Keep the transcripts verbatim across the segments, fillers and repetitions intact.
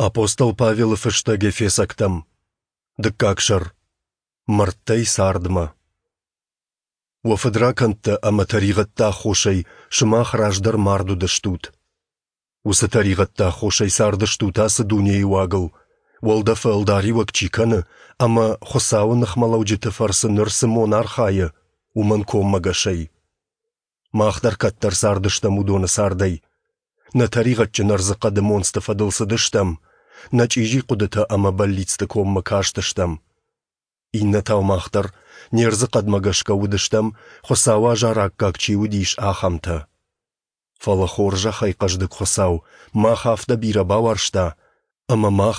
Апостол Павелы фыстӕг Ефесӕгтӕм, дыккаг сӕр. Мӕрдтӕй цардмӕ. Уӕ фыдракӕндтӕ ӕмӕ тӕригъӕдты аххосӕй сымах раздӕр мард уыдыстут. Уыцы тӕригъӕдты аххосӕй цардыстут ацы дунейы уагыл, уӕлдӕфы ӕлдариуӕг чи кӕны ӕмӕ Хуыцауы ныхмӕлӕуджыты фӕрцы ныр цы мон архайы, уымӕн коммӕгӕсӕй. Мах дӕр кӕддӕр цардыстӕм уыдоны цардӕй. Нӕ тӕригъӕдджын ӕрдзыхъӕды монцты фӕдыл цыдыстӕм, нӕ чъизи хъуыдытӕ ӕмӕ бӕллицты коммӕ кастыстӕм. Иннӕтау мах дӕр не рдзыхъӕдмӕ гӕсгӕ уыдыстӕм, Хуыцауы азар аккаг чи уыдис, ахӕмтӕ. Фӕлӕ хорзӕхӕй хъӕздыг Хуыцау мах афтӕ бирӕ бауарзта, ӕмӕ мах,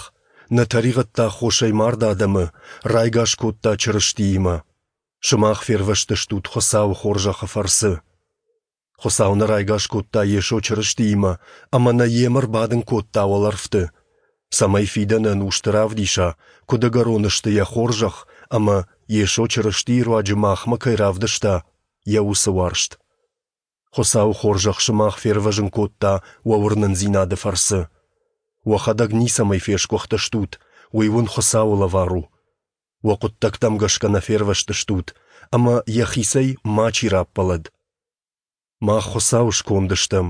нӕ тӕригъӕдты аххосӕй мард адӕмы, райгас кодта Чырыстиимӕ. Сымах фервӕзтыстут Хуыцауы хорзӕхы фӕрцы. Хуыцау нӕ райгас кодта Йесо Чырыстиимӕ ӕмӕ нӕ Йемӕ ӕрбадын кодта уӕлӕрвты, цӕмӕй фидӕны ӕнусты равдиса, куыд ӕгӕрон сты Йӕ хорзӕх ӕмӕ Йесо Чырыстийы руаджы махмӕ кӕй равдыста, Йӕ уыцы уарзт. Хуыцауы хорзӕх сымах фервӕзын кодта уӕ уырнындзинады фӕрцы. Уӕхӕдӕг ницӕмӕй фесгуыхтыстут, уый уын Хуыцауы лӕвар у. Уӕ хъуыддӕгтӕм гӕсгӕ нӕ фервӕзтыстут, ӕмӕ йӕхицӕй мачи раппӕлӕд. Мах Хуыцауы сконд стӕм,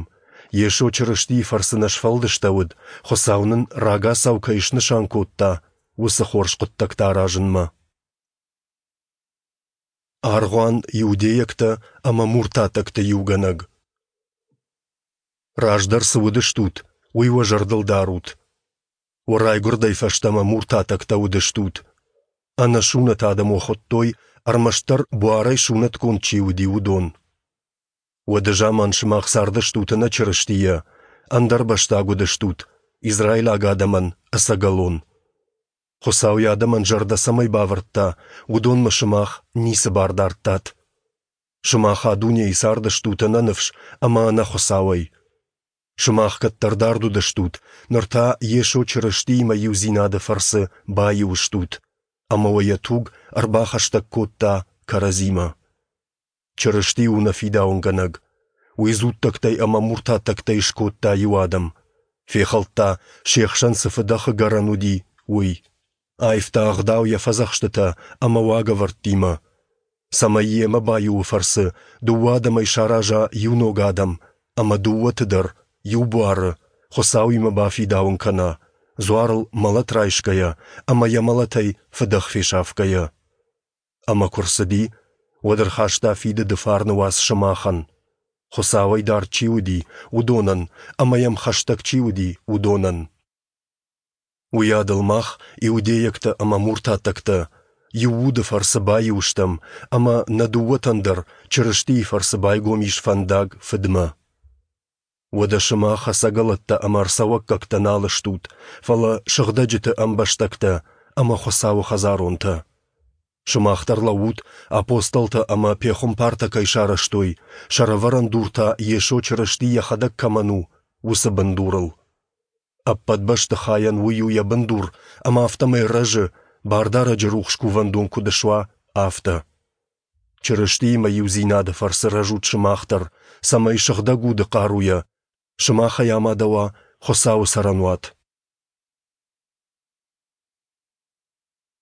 Йесо Чырыстийы фӕрцы нӕ сфӕлдыстӕуыд, Хуыцау нын рагацау кӕй снысан кодта, уыцы хорз хъуыддӕгтӕ аразынмӕ. Аргъуан иудейӕгтӕ ӕмӕ муртатӕгты иугӕнӕг. Раздӕр цы уыдыстут, уый уӕ зӕрдыл дарут. Уӕ райгуырдӕй фӕстӕмӕ муртатӕгтӕ уыдыстут. Ӕнӕсунӕт адӕм уӕ хуыдтой, ӕрмӕстдӕр буарӕй сунӕтгонд чи уыди, уыдон. Уӕды заман сымах цардыстут ӕнӕ Чырыстийӕ, ӕндӕрбӕстаг уыдыстут, израилаг адӕмӕн ӕцӕгӕлон. Хуыцау йӕ адӕмӕн зӕрдӕ цӕмӕй бавӕрдта, уыдонмӕ сымах ницы бар дардтат. Сымах а дунейы цардыстут ӕнӕныфс ӕмӕ ӕнӕ Хуыцауӕй. Сымах кӕддӕр дард уыдыстут, ныр та Йесо Чырыстиимӕ иудзинады фӕрцы баиу стут, ӕмӕ уӕ йӕ туг ӕрбахӕстӕг кодта кӕрӕдзимӕ. Чырысти у нӕ фидауынгӕнӕг. Уый дзуттӕгтӕй ӕмӕ муртаттӕгтӕй скодта иу адӕм. Фехӕлдта, се хсӕн цы фыдӕхы гӕрӕн уыди, уый. Аивта ӕгъдау йӕ фӕдзӕхстытӕ ӕмӕ уагӕвӕрдтимӕ, цӕмӕй йемӕ баиуы фӕрцы дыууӕ адӕмӕй сараза иу ног адӕм ӕмӕ дыууӕты дӕр иу буары Хуыцауимӕ бафидауын кӕна, дзуарыл мӕлӕт райсгӕйӕ ӕмӕ йӕ мӕлӕтӕй фыдӕх фесафгӕйӕ. Ӕмӕ куы рцыди, уӕд ӕрхаста фидыды фарны уац сымахӕн, Хуыцауӕй дард чи уыди, уыдонӕн ӕмӕ йӕм хӕстӕг чи уыди, уыдонӕн. Уыйадыл мах, иудейӕгтӕ ӕмӕ муртаттӕгтӕ, иу уды фӕрцы баиу стӕм, ӕмӕ нӕ дыууӕтӕн дӕр Чырыстийы фӕрцы байгом ис фӕндаг Фыдмӕ. Уӕдӕ сымах ӕцӕгӕлӕттӕ ӕмӕ ӕрцӕуӕггӕгтӕ нал стут, фӕлӕ сыгъдӕджыты ӕмбӕстӕгтӕ ӕмӕ Хуыцауы хӕдзаронтӕ. Сымах дӕр лӕуут, апостолтӕ ӕмӕ пехуымпартӕ кӕй сарӕзтой, сӕрӕвӕрӕн дур та Йесо Чырысти йӕхӕдӕг кӕмӕн у, уыцы бындурыл. Ӕппӕт бӕстыхайӕн уый у йӕ бындур, ӕмӕ афтӕмӕй рӕзы, Бардарӕджы рухс кувӕндон куыд суа, афтӕ. Чырыстиимӕ иудзинады фӕрцы рӕзут сымах дӕр, цӕмӕй Сыгъдӕг Уды хъаруйӕ сымахӕй амадӕуа Хуыцауы цӕрӕнуат.